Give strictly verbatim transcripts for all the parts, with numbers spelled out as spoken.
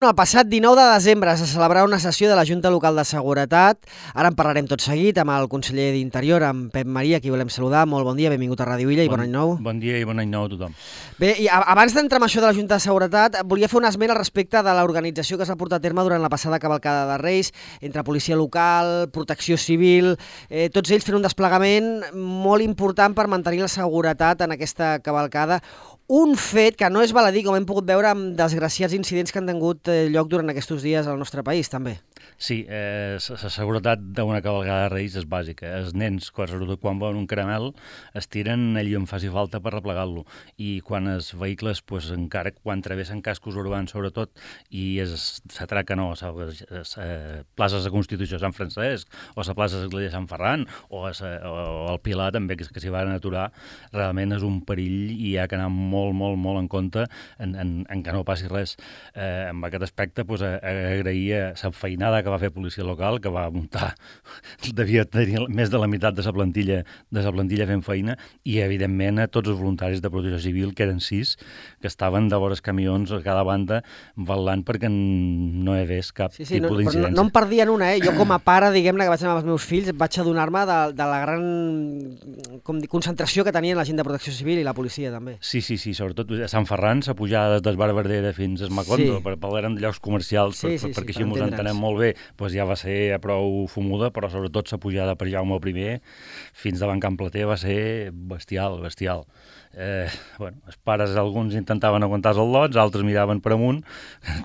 El passat dinou de desembre se celebrarà una sessió de la Junta Local de Seguretat. Ara en parlarem tot seguit amb el conseller d'Interior, amb Pep Maria, a qui volem saludar. Molt bon dia, benvingut a Ràdio Illa i bon, bon any nou. Bon dia i bon any nou a tothom. Bé, i abans d'entrar amb això de la Junta de Seguretat, volia fer un esment al respecte de l'organització que s'ha portat a terme durant la passada cavalcada de Reis, entre policia local, protecció civil, eh, tots ells fent un desplegament molt important per mantenir la seguretat en aquesta cavalcada. Un fet que no és baladí, com hem pogut veure amb desgraciats incidents que han tingut lloc durant aquests dies al nostre país, també. Sí, eh, la seguretat d'una cavalcada de Reis és bàsica. Els nens, sobretot quan veuen un caramel, es tiren allà on faci falta per replegar-lo. I quan els vehicles, pues, encara quan travessen cascos urbans, sobretot, i s'atraquen o a les places de Constitució de Sant Francesc, o a la plaça de l'Església de Sant Ferran, o, a, o al Pilar, també, que, que s'hi van aturar, realment és un perill i hi ha que anar molt, molt, molt en compte en, en, en que no passi res. Eh, en aquest aspecte, pues, agraïa la feinada que va fer policia local, que va muntar, devia tenir més de la meitat de la plantilla de la plantilla fent feina, i evidentment a tots els voluntaris de protecció civil, que eren sis, que estaven de vores camions a cada banda vetllant perquè no hi hagués cap sí, sí, tipus no, d'incidència. No, no em perdien una, eh? Jo com a pare, diguem-ne, que vaig anar amb els meus fills, vaig adonar-me de, de la gran com dir, concentració que tenien la gent de protecció civil i la policia, també. Sí, sí, sí, sobretot a Sant Ferran, la pujada des d'Esbarberdera fins a Macondo, sí. per parlar de llocs comercials, sí, per, sí, perquè sí, així mos entenem molt bé, doncs ja va ser prou fumuda, però sobretot la pujada per Jaume I fins davant Can Plater va ser bestial, bestial. Eh, bueno, els pares, alguns intentaven aguantar els al·lots, altres miraven per amunt,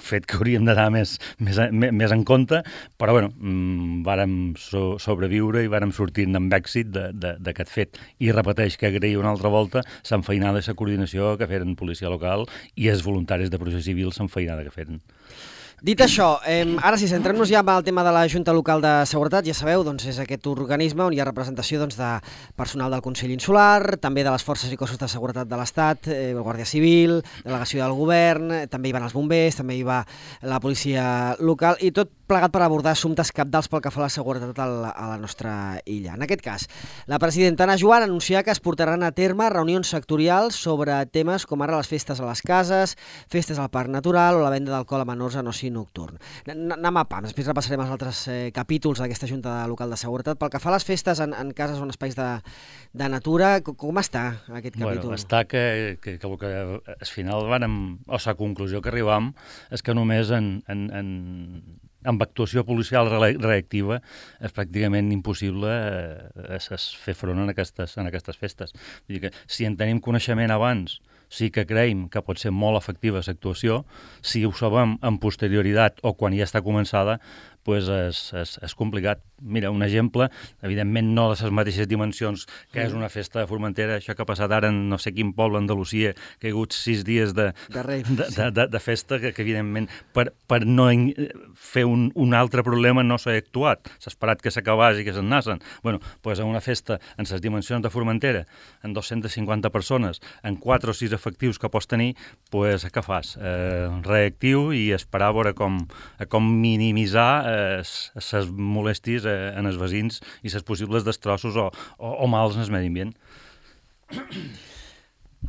fet que hauríem d'anar més, més, més en compte, però bueno, mmm, vàrem so, sobreviure i vàrem sortir-ne amb èxit d'aquest fet. I repeteix que agraïa una altra volta l'enfeinada i la coordinació que feren policia local i els voluntaris de protecció civil l'enfeinada que feren. Dit això, eh, ara si centrem-nos ja en el tema de la Junta Local de Seguretat, ja sabeu, doncs és aquest organisme on hi ha representació doncs, de personal del Consell Insular, també de les forces i cossos de seguretat de l'Estat, eh, el Guàrdia Civil, delegació del Govern, eh, també hi van els bombers, també hi va la policia local, i tot plegat per abordar assumptes cabdals pel que fa a la seguretat a la, a la nostra illa. En aquest cas, la presidenta Ana Joan anuncia que es portaran a terme reunions sectorials sobre temes com ara les festes a les cases, festes al parc natural o la venda d'alcohol a menors en oci nocturn. Anem a pams, després repassarem els altres eh, capítols d'aquesta Junta Local de Seguretat. Pel que fa a les festes en, en cases o en espais de, de natura, com està aquest capítol? Bueno, està que, que, que, que al final vàrem, o la conclusió que arribam és que només en, en, en, amb actuació policial reactiva és pràcticament impossible eh, fer front en aquestes, en aquestes festes. Vull dir que si en tenim coneixement abans, sí que creiem que pot ser molt efectiva l'actuació. Si ho sabem en posterioritat o quan ja està començada, doncs és, és, és complicat. Mira, un exemple, evidentment no de les mateixes dimensions que és una festa de Formentera, això que ha passat ara en no sé quin poble, Andalusia, que hi ha hagut sis dies de, de, rei, de, de, de, de festa, que, que evidentment per, per no fer un, un altre problema no s'ha actuat. S'ha esperat que s'acabés i que se'n nassen. Bueno, doncs en una festa en les dimensions de Formentera, en dos-centes cinquanta persones, en quatre o sis efectius que pots tenir, doncs què fas? Eh, reactiu i esperar a veure com, com minimitzar les molèsties en els veïns i les possibles destrossos o, o, o mals en el medi ambient.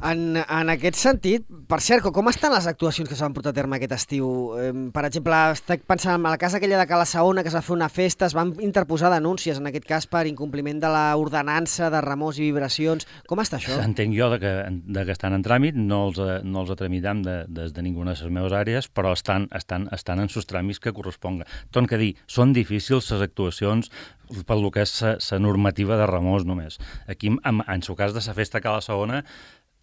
En, en aquest sentit, per cert, com estan les actuacions que s'han portat a terme aquest estiu? Eh, per exemple, estic pensant en la casa aquella de Cala Saona, que es va fer una festa, es van interposar denúncies, en aquest cas, per incompliment de l'ordenança de remors i vibracions. Com està això? Entenc jo de que, de que estan en tràmit, no els, no els tramitam de, des de ninguna de les meves àrees, però estan, estan, estan en sus tràmits que corresponga. Torno a dir, són difícils les actuacions pel que és la normativa de remors només. Aquí, en, en el cas de la festa a Cala Saona,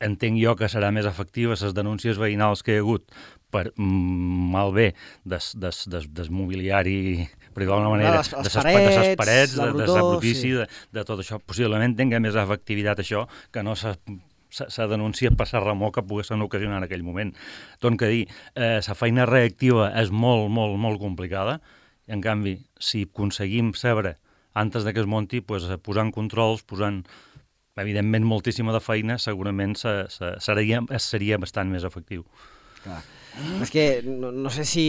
entenc jo que serà més efectiva les denúncies veïnals que hi ha hagut per mm, malbé des, des, des, des mobiliari, per d'alguna manera, les, les de les parets, parets, la de, de la brutícia, sí. de, de tot això. Possiblement tingui més efectivitat això que no s'ha se denuncia per la remor que poguessin ocasionar en aquell moment. Torno a dir, eh, la feina reactiva és molt, molt, molt complicada. En canvi, si aconseguim saber antes de que es munti, pues, posant controls, posant evidentment moltíssima de feina, segurament se, se, seria, seria bastant més efectiu. Clar. És que no, no sé si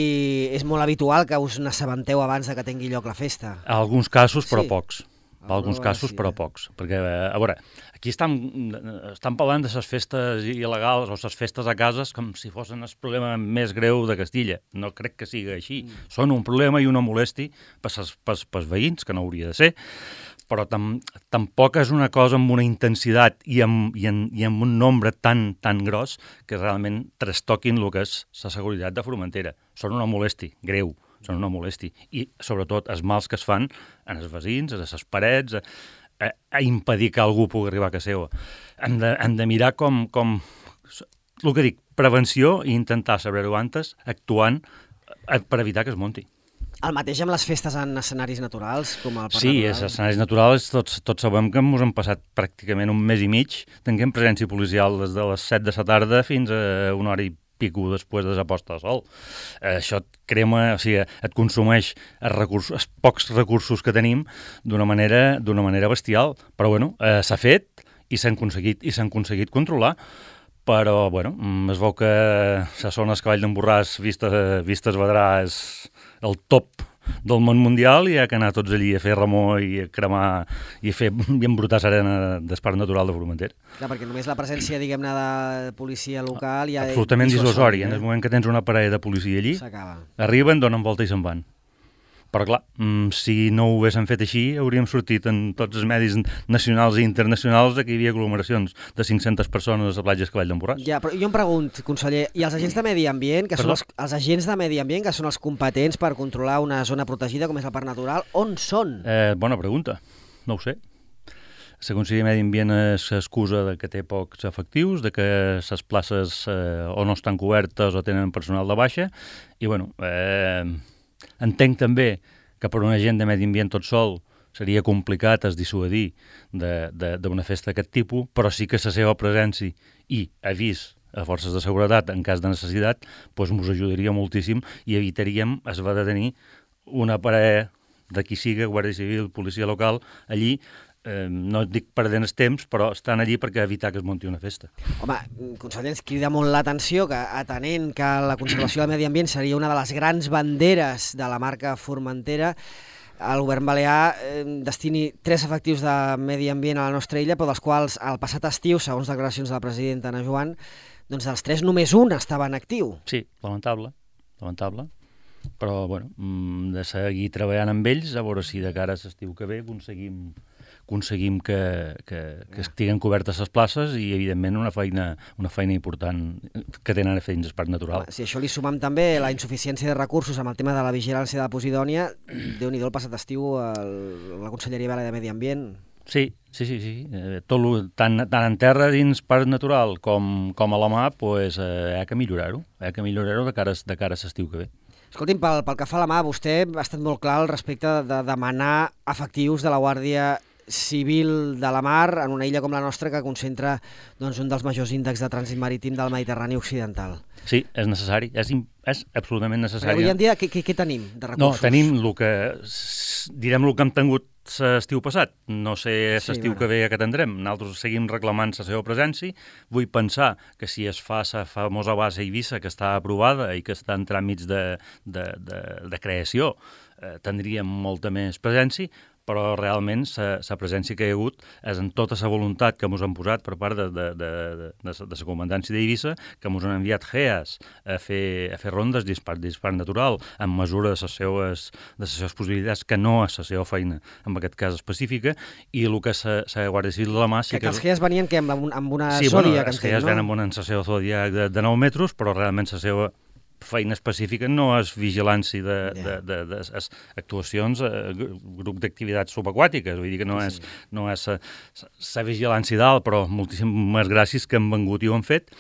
és molt habitual que us n'assabenteu abans de que tingui lloc la festa. A alguns casos, però sí. pocs. per alguns casos, però pocs. Perquè, a veure, aquí estan, estan parlant de les festes il·legals o les festes a cases com si fossin el problema més greu de Castilla. No crec que sigui així. Mm. Són un problema i una molesti pels veïns, que no hauria de ser, però tam, tampoc és una cosa amb una intensitat i amb, i en, i amb un nombre tan, tan gros que realment trastoquin el que és la seguretat de Formentera. Són una molesti greu. Són una molesti. I, sobretot, els mals que es fan en els veïns, a les parets, a, a, a impedir que algú pugui arribar a casa seva. Hem de, hem de mirar com, com... El que dic, prevenció i intentar saber-ho antes, actuant per evitar que es munti. El mateix amb les festes en escenaris naturals, com el Parc Sí, Natural? els escenaris naturals, tots, tots sabem que ens hem passat pràcticament un mes i mig tenint presència policial des de les set de la tarda fins a una hora i pico després de la posta de sol. Eh, això et crema, o sigui, et consumeix els, recursos, els pocs recursos que tenim d'una manera, d'una manera bestial. Però, bueno, eh, s'ha fet i s'han aconseguit, i s'han aconseguit controlar. Però, bueno, es veu que la zona Cavall d'en Borràs, vistes, vistes Vedrà, és el top del món mundial i ha que anar tots allí a fer remor i a cremar i a fer i embrutar l'arena del Parc Natural de Formentera. Clar, perquè només la presència, diguem-ne, de policia local ja... Absolutament dissuasori. Eh? En el moment que tens una parella de policia allí, arriben, donen volta i se'n van. Però clar, si no ho haguéssim fet així, hauríem sortit en tots els medis nacionals i internacionals que hi havia aglomeracions de cinc-centes persones a la platja Cavall d'en Borràs. Ja, però jo em pregunto, conseller, i els agents de medi ambient, que són els, els agents de medi ambient, que són els competents per controlar una zona protegida com és el Parc Natural, on són? Eh, bona pregunta, no ho sé. La Conselleria de Medi Ambient s'excusa de que té pocs efectius, de que les places eh, o no estan cobertes o tenen personal de baixa, i bueno... Eh, entenc també que per un agent de medi ambient tot sol seria complicat es dissuadir d'una festa d'aquest tipus, però sí que la seva presència i avís a forces de seguretat en cas de necessitat doncs ens ajudaria moltíssim i evitaríem es va de tenir una parella de qui siga, Guàrdia Civil, policia local, allí. Eh, no dic perdent el temps, però estan allí perquè evitar que es munti una festa. Home, conseller, ens crida molt l'atenció que, atenent que la conservació del medi ambient seria una de les grans banderes de la marca Formentera, el govern balear eh, destini tres efectius de medi ambient a la nostra illa, però dels quals el passat estiu, segons declaracions de la presidenta Ana Joan, doncs dels tres només un estava en actiu. Sí, lamentable, lamentable. Però, bueno, de seguir treballant amb ells, a veure si de cara a l'estiu que ve aconseguim aconseguim que, que, que estiguen cobertes les places i, evidentment, una feina, una feina important que tenen a fer dins el Parc Natural. Si això li sumam també la insuficiència de recursos amb el tema de la vigilància de la Posidònia, Déu-n'hi-do el passat estiu el, la Conselleria Balear de Medi Ambient. Sí, sí, sí, sí. Eh, tot lo, tant, tant en terra dins Parc Natural com, com a la mà, pues, eh, ha que millorar-ho, ha que millorar-ho de cara, de cara a l'estiu que ve. Escolti'm, pel, pel que fa a la mà, vostè ha estat molt clar al respecte de demanar efectius de la Guàrdia Civil de la Mar en una illa com la nostra que concentra doncs, un dels majors índexs de trànsit marítim del Mediterrani Occidental. Sí, és necessari, és, és absolutament necessari. Però avui en dia què, què, què tenim de recursos? No, tenim el que, direm el que hem tingut l'estiu passat. No sé l'estiu sí, que ve que tindrem. Nosaltres seguim reclamant la seva presència. Vull pensar que si es fa la famosa base Eivissa, que està aprovada i que està en tràmits de, de, de, de creació, eh, tindríem molta més presència, però realment la presència que hi ha hagut és en tota la voluntat que ens han posat per part de, de, de, de, de, de la comandància d'Eivissa, que ens han enviat G E A S a fer, a fer rondes dispar, dispar natural amb mesura de les seues, de les seues possibilitats, que no és la seva feina, en aquest cas específica, i el que és la Guàrdia Civil de la Mà... Sí que, que els G E A S venien que amb, amb una sí, Zodiac, bueno, els G E A S venen amb una seva Zodiac de, de nou metres, però realment la seva feina específica no és vigilància de, yeah. de, de, de, de actuacions, eh, grup d'activitats subaquàtiques, vull dir que no sí. és, no és la vigilància dalt, però moltíssimes gràcies que han vengut i ho han fet.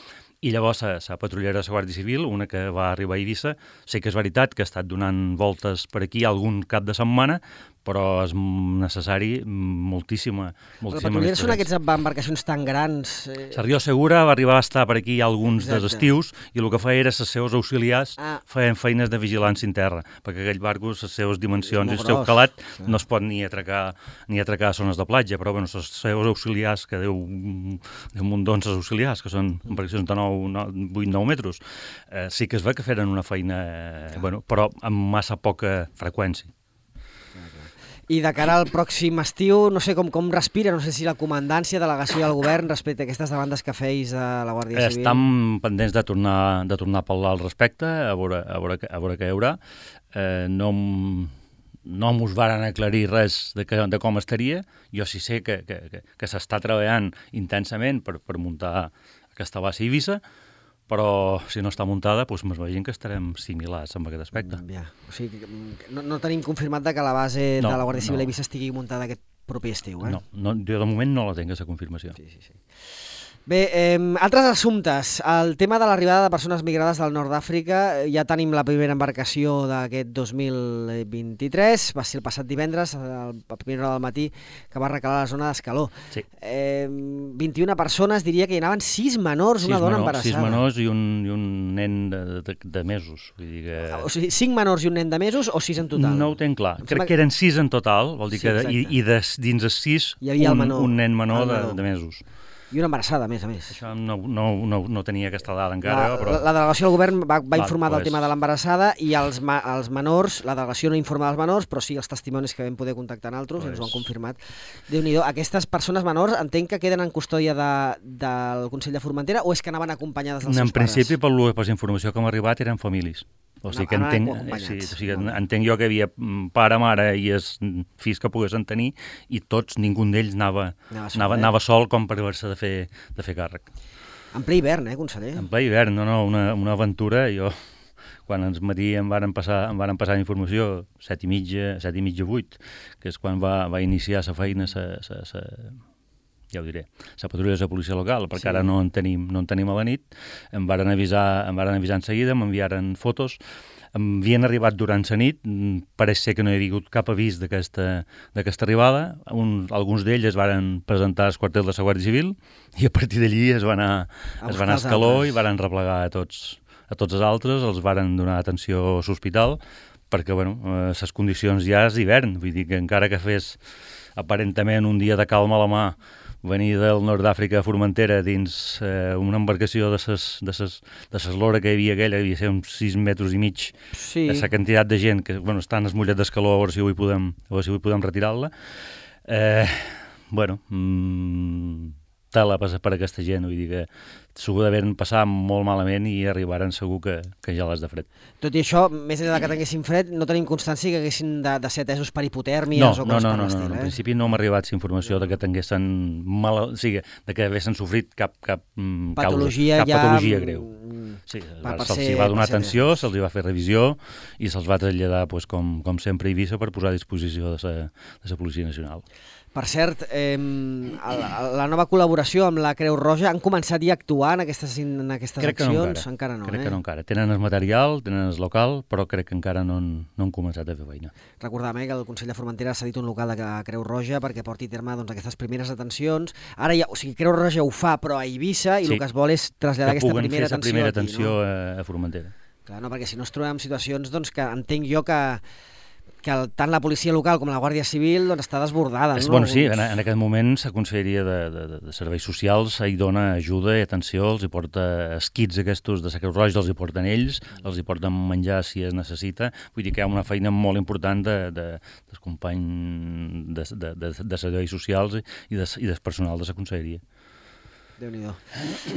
I llavors la patrullera de la Guàrdia Civil, una que va arribar a Eivissa, sé que és veritat que ha estat donant voltes per aquí algun cap de setmana, però és necessari moltíssima, moltíssima... La patrullera són aquestes embarcacions tan grans... Eh... La Rio Segura va arribar a estar per aquí alguns Exacte. dels estius i el que feia era els seus auxiliars ah. feien feines de vigilància en terra, perquè aquell barco, les seves dimensions i el seu calat ah. no es pot ni atracar ni atracar a zones de platja, però bueno, els seus auxiliars, que Déu, Déu mundons els auxiliars, que són embarcacions de vuit nou metres, eh, sí que es ve que feren una feina, eh, bueno, però amb massa poca freqüència. I de cara al pròxim estiu, no sé com, com respira, no sé si la comandància, delegació del govern respecte a aquestes demandes que feis de la Guàrdia Civil. Estem pendents de tornar, de tornar a parlar al respecte, a veure, a veure, a veure què hi haurà. Eh, no, no mos varen aclarir res de, que, de com estaria. Jo sí sé que, que, que, que s'està treballant intensament per, per muntar aquesta base a Eivissa, però si no està muntada, doncs m'imagino que estarem similars en aquest aspecte. Ja. O sigui, no, no tenim confirmat que la base no, de la Guàrdia Civil no. a Eivissa estigui muntada aquest proper estiu, eh? No, no, jo de moment no la tinc, aquesta confirmació. Sí, sí, sí. Bé, eh, altres assumptes. El tema de l'arribada de persones migrades del nord d'Àfrica. Ja tenim la primera embarcació d'aquest dos mil vint-i-tres. Va ser el passat divendres, a la primera hora del matí, que va recalar la zona d'Escaló. Sí. Eh, vint-i-una persones, diria que hi anaven sis menors, una sis dona menors, embarassada. Sis menors i un, i un nen de, de, de mesos. Vull dir que... O sigui, cinc menors i un nen de mesos o sis en total? No ho tenc clar. Em Crec que eren sis en total, vol dir sí, que i, i de, dins els sis hi havia un, el menor, un nen menor de, menor de mesos. I una embarassada, a més a més. Això no, no, no, no tenia aquesta dada encara. La, però... la, la delegació del govern va, va informar Va, del tema de l'embarassada i els, ma, els menors, la delegació no informa dels menors, però sí els testimonis que vam poder contactar en altres, pues... ens ho han confirmat. Déu-n'hi-do, aquestes persones menors entenc que queden en custòdia de, del Consell de Formentera o és que anaven acompanyades dels en seus pares? En principi, per la informació que m'ha arribat, eren famílies. O sigui que entenc, sí, o sigui, entenc jo que hi havia pare, mare i els fills que poguessin tenir i tots, ningú d'ells anava, anava, sol, anava, eh? anava sol com per haver-se de, fer, de fer càrrec. En ple hivern, eh, conseller? En ple hivern, no, no, una, una aventura. Jo, quan ens matí em varen passar, em varen passar informació, set i mitja, set i mitja, vuit, que és quan va, va iniciar la feina, sa, sa, sa, ja ho diré, la patrulla de la policia local, perquè sí. ara no en, tenim, no en tenim a la nit, em varen avisar, em varen avisar en seguida, m'enviaren fotos, em havien arribat durant la nit, pareix ser que no hi havia hagut cap avís d'aquesta arribada, Un, alguns d'ells es varen presentar als quartels de la Guàrdia Civil i a partir d'allí es van anar a, es van anar a Escaló altres. I varen replegar a tots, a tots els altres, els varen donar atenció a l'hospital, perquè bueno, les condicions ja és hivern, vull dir que encara que fes aparentament un dia de calma a la mà, venir del nord d'Àfrica a Formentera dins eh, una embarcació de ses, de ses, de ses lora que hi havia aquella, que havia ser uns sis metres i mig, sí. La quantitat de gent que bueno, estan es mullet d'escaló, a veure si avui podem, a veure si avui podem retirar-la. Eh, bueno, mmm, tela per, per aquesta gent, vull dir que s'ho deveren passar molt malament i arribaren segur que, que ja les de fred. Tot i això, més enllà que tinguessin fred, no tenim constància que haguessin de, de ser atesos per hipotèrmies no, o no, coses no, per no, l'estil. No, no, eh? en principi no m'ha arribat informació de que tinguessin mal, o sigui, de que haguessin sofrit cap, cap, patologia, causa, cap ja... patologia greu. Sí, se'ls va donar atenció, se'ls va fer revisió i se'ls va traslladar, pues, com, com sempre a Eivissa, per posar a disposició de la, de la Policia Nacional. Per cert, eh, la, la nova col·laboració amb la Creu Roja, han començat ja a actuar en aquestes, en aquestes crec accions? No encara. encara no, crec eh? que no encara. Tenen el material, tenen el local, però crec que encara no han, no han començat a fer feina. Recordem eh, que el Consell de Formentera ha cedit un local de Creu Roja perquè porti a terme doncs, aquestes primeres atencions. Ara ja, o sigui, Creu Roja ho fa, però a Eivissa, i sí. El que es vol és traslladar aquesta primera atenció, primera aquí, atenció no? a, a Formentera. Clar, no, perquè si no es trobem en situacions doncs, que entenc jo que que el, tant la policia local com la Guàrdia Civil doncs, està desbordada. És, no? Bueno, sí, en, en aquest moment la Conselleria de, de, de Serveis Socials hi dona ajuda i atenció, els hi porta els kits aquests de la Creu Roja, els hi porten ells, els hi porten menjar si es necessita. Vull dir que hi ha una feina molt important de, de, del company de, de, de, de Serveis Socials i, de, i del personal de la Conselleria. Déu-n'hi-do.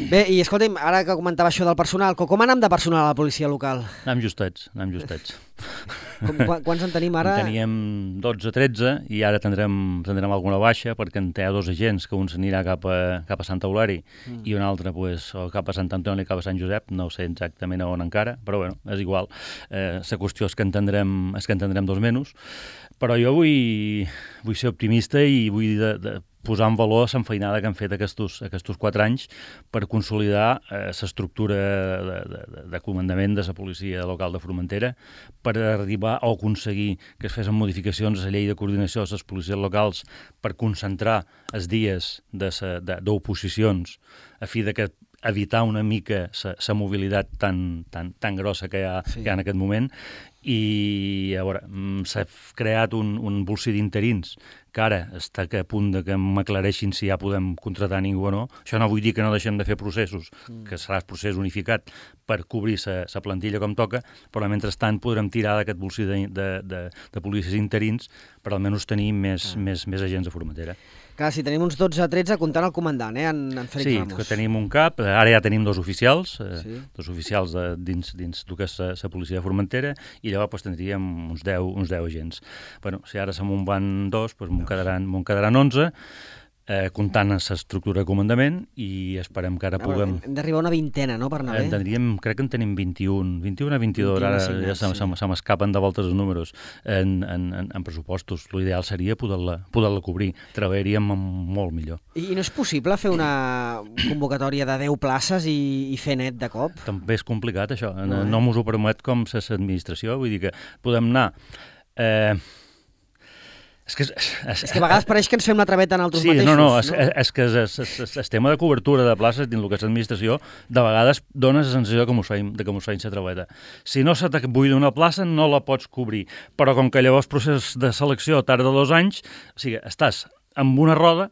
Bé, i escolta'm, ara que comentava això del personal, com anem de personal a la policia local? Anem justets, anem justets. Com, quants en tenim ara? En teníem dotze o tretze i ara tindrem, tindrem alguna baixa perquè en té dos agents, que un s'anirà cap a, cap a Sant Eulari mm. i un altre pues, o cap a Sant Antoni o cap a Sant Josep, no sé exactament a on encara, però bueno, és igual. Eh, la qüestió és que entendrem, és que entendrem dos menys, però jo vull, vull ser optimista i vull de, de posar en valor l'enfeinada que han fet aquests, aquests quatre anys per consolidar l'estructura eh, de, de, de comandament de la policia local de Formentera, per arribar a aconseguir que es fessin modificacions a la llei de coordinació de les policies locals per concentrar els dies d'oposicions a fi de que evitar una mica la mobilitat tan, tan, tan grossa que hi ha, sí. que hi ha en aquest moment, i a veure, s'ha creat un, un bolsí d'interins que ara està a punt de que m'aclareixin si ja podem contratar ningú o no. Això no vull dir que no deixem de fer processos, mm. que serà el procés unificat per cobrir la plantilla com toca, però mentrestant podrem tirar d'aquest bolsí de, de, de, de policies interins per almenys tenir més, ah. més, més agents de Formentera. Clar, si tenim uns dotze a tretze comptant el comandant, eh, en, en Félix sí, Ramos. Sí, que tenim un cap, ara ja tenim dos oficials, eh, sí. dos oficials de, dins, dins del que és la policia de Formentera, i llavors pues, tindríem uns deu, uns deu agents. Bueno, si ara se me'n van dos, pues, me'n quedaran, me'n quedaran onze, eh, comptant l'estructura de comandament, i esperem que ara puguem... Hem d'arribar a una vintena, no?, per anar bé? En tindríem, crec que en tenim vint-i-un, vint-i-un a vint-i-dos, ara ja se, sí. se m'escapen de voltes els números en, en, en, en pressupostos. L'ideal seria poder-la poder-la cobrir, treballaríem molt millor. I, I no és possible fer una convocatòria de deu places i, i fer net de cop? També és complicat, això. No, no mos ho permet com l'administració, vull dir que podem anar... Eh, És que, és, és, és que a vegades pareix que ens fem la traveta en altres sí, mateixos. No, no, és, no? és que el tema de cobertura de places dins el que és l'administració de vegades dona la sensació de que mos feim, de que mos feim la traveta. Si no se t'abuida una plaça, no la pots cobrir. Però com que llavors el procés de selecció tarda dos anys, o sigui, estàs amb una roda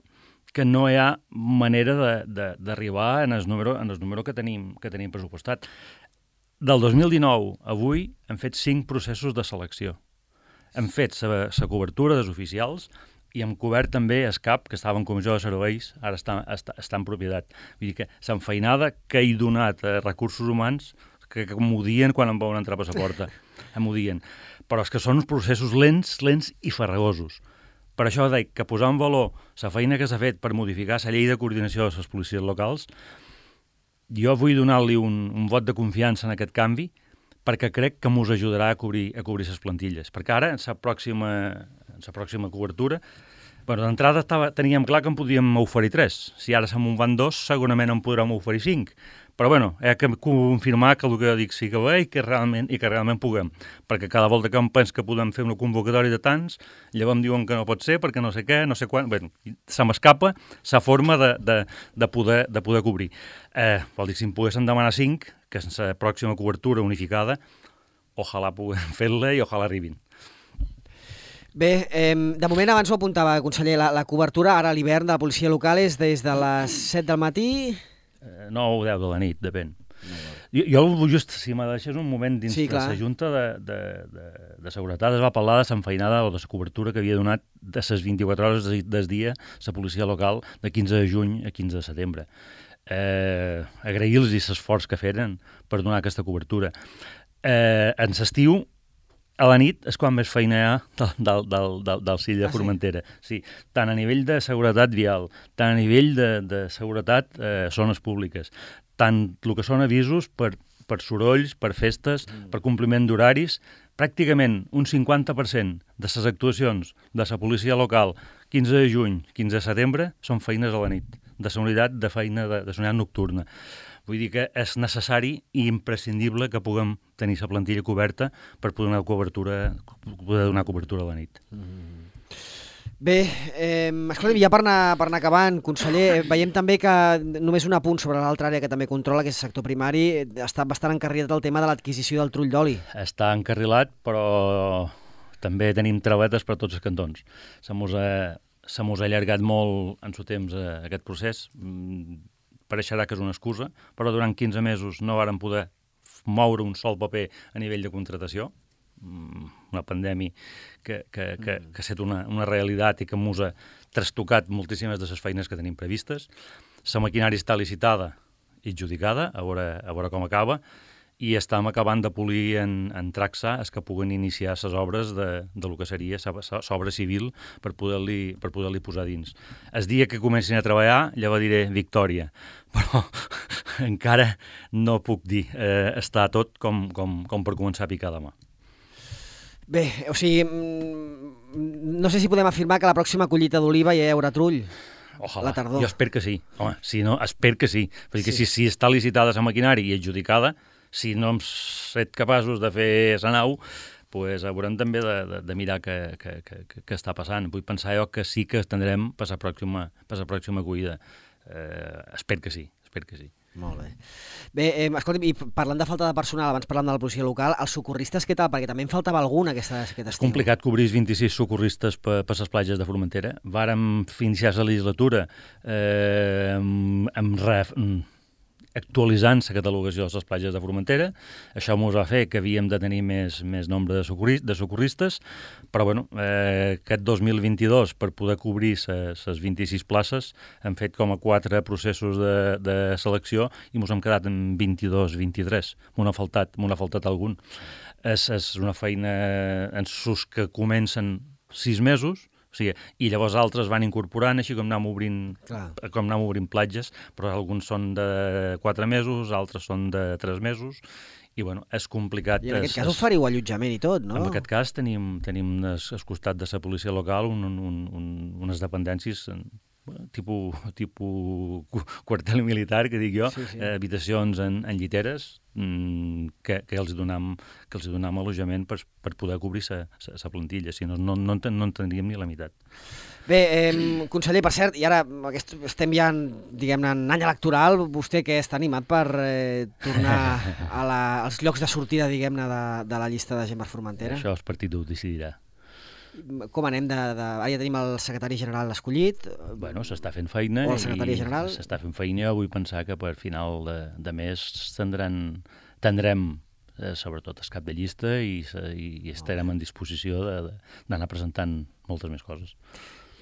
que no hi ha manera d'arribar en el número, en el número que tenim, que tenim pressupostat. Del dos mil dinou a avui hem fet cinc processos de selecció. Hem fet la cobertura dels oficials i hem cobert també el CAP, que estava en comissió de serveis, ara està, està, està en propietat. Vull dir que l'enfeinada que he donat a recursos humans, que, que m'ho dien quan em veuen entrar per la porta, m'ho dien. Però és que són uns processos lents, lents i farragosos. Per això dic que posar en valor la feina que s'ha fet per modificar la llei de coordinació de les policies locals, jo vull donar-li un, un vot de confiança en aquest canvi, perquè crec que ens ajudarà a cobrir, a cobrir les plantilles. Perquè ara, en la pròxima, en la pròxima cobertura, bueno, d'entrada teníem clar que en podíem oferir tres. Si ara se'n van dos, segurament en podrem oferir cinc. Però, bueno, he de confirmar que el que jo dic sí que va i que realment, i que realment puguem. Perquè cada volta que em penso que podem fer una convocatòria de tants, llavors em diuen que no pot ser perquè no sé què, no sé quan... Bé, se m'escapa la forma de, de, de, poder, de poder cobrir. Eh, vol dir, si em poguessin demanar cinc, que és la pròxima cobertura unificada, ojalà puguem fer-la i ojalà arribin. Bé, eh, de moment abans ho apuntava, conseller, la, la cobertura ara a l'hivern de la policia local és des de les set del matí... nou o deu de la nit, depèn. Jo, jo just, si me deixes un moment dins sí, de la Junta de, de, de, de Seguretat, es va parlar de l'enfeinada o de la cobertura que havia donat de les vint-i-quatre hores del dia la policia local de quinze de juny a quinze de setembre. Eh, agrair-los l'esforç que feren per donar aquesta cobertura. Eh, en l'estiu, a la nit és quan més feina hi ha del, del, del, del Sill de Formentera. Ah, sí? Sí, tant a nivell de seguretat vial, tant a nivell de, de seguretat eh, zones públiques, tant el que són avisos per, per sorolls, per festes, mm. per compliment d'horaris, pràcticament un cinquanta per cent de les actuacions de la policia local quinze de juny, quinze de setembre, són feines a la nit, de la unitat de feina de, de la unitat nocturna. Vull dir que és necessari i imprescindible que puguem tenir la plantilla coberta per poder donar cobertura, poder donar cobertura a la nit. Mm. Bé, eh, escolta'm, ja per anar, per anar acabant, conseller, veiem també que només un apunt sobre l'altra àrea que també controla, que és el sector primari, està bastant encarrilat el tema de l'adquisició del trull d'oli. Està encarrilat, però també tenim travetes per tots els cantons. Se mos ha, se mos ha allargat molt en su temps eh, aquest procés. Pareixerà que és una excusa, però durant quinze mesos no varen poder moure un sol paper a nivell de contratació. Una pandèmia que, que, que, que ha estat una, una realitat i que ens ha trastocat moltíssimes de les feines que tenim previstes. La maquinària està licitada i adjudicada, a veure, a veure com acaba, i estem acabant de polir en, en Traxa els que puguen iniciar les obres de, de lo que seria l'obra civil per poder-li per poder-li posar dins. El dia que comencin a treballar, llavors diré victòria, però encara no puc dir. Eh, està tot com, com, com per començar a picar demà. Bé, o sigui, no sé si podem afirmar que la pròxima collita d'oliva ja hi haurà trull. Ojalà. La tardor. Jo espero que sí. Home, si no, espero que sí. Perquè sí. si, si està licitada la maquinària i adjudicada, si no hem set capaços de fer la nau, pues haurem també de, de, de mirar què, què, què, què està passant. Vull pensar jo que sí que tindrem per la pròxima, per la pròxima collida. Eh, espero que sí, espero que sí. Molt bé. Bé, eh, escolta'm, i parlant de falta de personal, abans parlant de la policia local, els socorristes què tal? Perquè també en faltava algun aquesta, aquest estiu. És complicat cobrir vint-i-sis socorristes per, per les platges de Formentera. Vàrem iniciar la legislatura eh, amb, amb ref, actualitzant la catalogació de les platges de Formentera. Això ens va fer que havíem de tenir més, més nombre de, socorri, de socorristes, però bueno, eh, aquest dos mil vint-i-dos, per poder cobrir les vint-i-sis places, hem fet com a quatre processos de, de selecció i ens hem quedat en vint-i-dos vint-i-tres. M'ho ha faltat, m'ho ha faltat algun. És, és una feina en sus que comencen sis mesos, o sigui, i llavors altres van incorporant, així com anem obrint, com anem obrint platges, però alguns són de quatre mesos, altres són de tres mesos, i bueno, és complicat. I en aquest és, cas oferiu allotjament i tot, no? En aquest cas tenim, tenim al costat de la policia local un, un, un, unes dependències tipus, tipus quartel militar, que dic jo, sí, sí. Eh, habitacions en, en lliteres, mm, que, que els donam, que els donam allotjament per, per poder cobrir la plantilla, si no, no, no, en, no en tindríem ni la meitat. Bé, eh, conseller, per cert, i ara aquest, estem ja en, diguem-ne, en any electoral, vostè que està animat per eh, tornar a la, als llocs de sortida, diguem-ne, de, de la llista de gent per Formentera? Això el partit ho decidirà. Com anem de, de... Ara ja tenim el secretari general escollit. Bueno, s'està fent feina. O la secretària general. S'està fent feina. Vull pensar que per final de, de mes tindran, tindrem, eh, sobretot, el cap de llista i, i, i estarem en disposició d'anar presentant moltes més coses.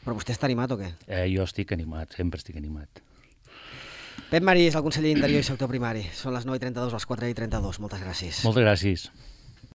Però vostè està animat o què? Eh, jo estic animat, sempre estic animat. Pep Marí és el conseller d'Interior i Sector Primari. Són les nou i trenta-dos, les quatre i trenta-dos. Moltes gràcies. Moltes gràcies.